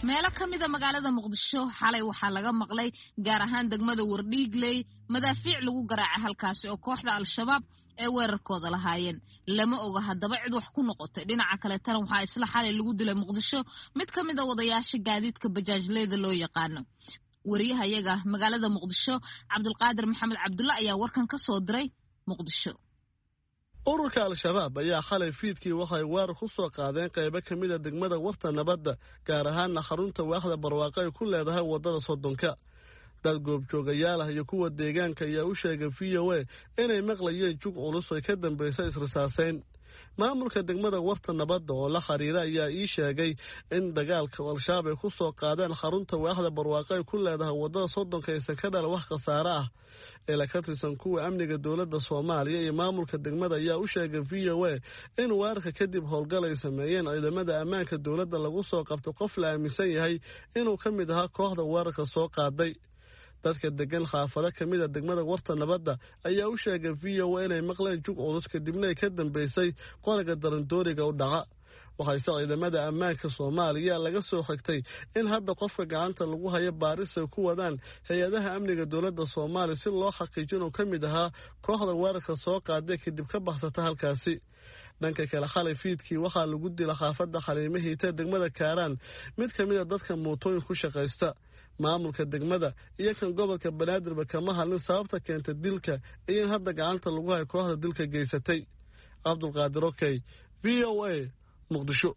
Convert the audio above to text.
Meelo ka mida magaalada Muqdisho xalay waxaa laga maqlay, gaar ahaan degmada Wardhiigley, madaafiic lagu garaacay halkaasi oo kooxda Al-Shabaab ee weerarkooda lahaayeen. Lama oga haddaba cid wax ku noqotay. Dhinaca kale tana waxaa isla xalay lagu dilay Muqdisho mid ka mid a wadayaasha gaadiidka bajaajleyda loo yaqaano. Wariyahayaga magaalada Muqdisho, Cabdulqaadir Maxamed Cabdulla, ayaa warkan ka soo diray Muqdisho. Ururka Al-Shabaab ayaa xalay fiidkii waxay weerar ku soo qaadeen qaybo ka mid a degmada Warta Nabadda, gaar ahaana xarunta Waaxda Barwaaqo ay ku leedahay waddada Soddonka. Dad goobjoogayaal ah iyo kuwa deegaanka ayaa u sheegay VOA inay maqlayeen jug culus ay ka dambaysa israsaaseyn. Maamulka degmada Warta Nabadda oo la xiriira ayaa ii sheegay in dagaalka Al-Shabaab ay ku soo qaadeen xarunta Waaxda Barwaaqo ay ku leedahay waddada Soddonka aysan ka dhalan wax khasaare ah. Ila ka tirsan kuwa amniga dowladda Soomaaliya iyo maamulka degmada ayaa u sheegay VOA in weerarka kadib howlgal ay sameeyeen ciidamada ammaanka dowladda lagu soo qabtay qof la aaminsan yahay inuu ka mid ahaa kooxda weerarka soo qaaday. Dadka degan xaafado ka mid a degmada Warta Nabadda ayaa u sheegay VOA inay maqleen jug culus, kadibna ay ka dambeysay qoriga darandooriga u dhaca. Waxayse ciidamada ammaanka Soomaaliya laga soo xigtay in hadda qofka gacanta lagu hayo baaris ay ku wadaan hay-adaha amniga dowladda Soomaaliya si loo xaqiijiyo inuu ka mid ahaa kooxda weerarka soo qaaday kadib ka baxsata halkaasi. Dhanka kale, xalay fiidkii waxaa lagu dila xaafadda Xaliime Hiite, degmada Kaaraan, mid ka mid a dadka mootooyin ku shaqaysta. Maamulka degmada iyo kan gobolka Banaadirba kama hadlin sababta keenta dilka iyo in hadda gacanta lagu hayo kooxda dilka geysatay. Cabdulqaadir Okey, VOA, Muqdisho.